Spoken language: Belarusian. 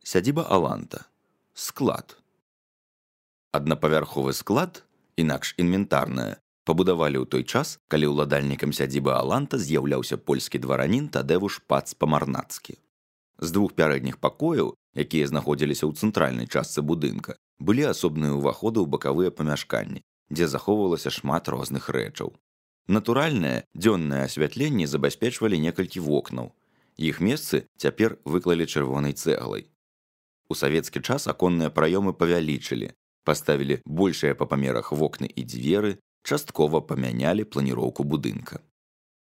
Сядзіба Аланта. Склад. Аднапавярховы склад, інакш інвентарная, пабудавалі ў той час, калі ўладальнікам сядзібы Аланта з'яўляўся польскі дваранін Тадэвуш Пац-Памарнацкі. З двух пярэдніх пакояў, якія знаходзіліся ў цэнтральнай частцы будынка, былі асобныя ўваходы ў бакавыя памяшканні, дзе захоўвалася шмат розных рэчаў. Натуральнае дзённае асвятленне забяспечвалі некалькі вокнаў. Іх месцы цяпер выклалі чырвонай цэглай. У савецкі час аконныя праёмы павялічылі, паставілі большыя па памерах вокны і дзверы, часткова памянялі планіроўку будынка.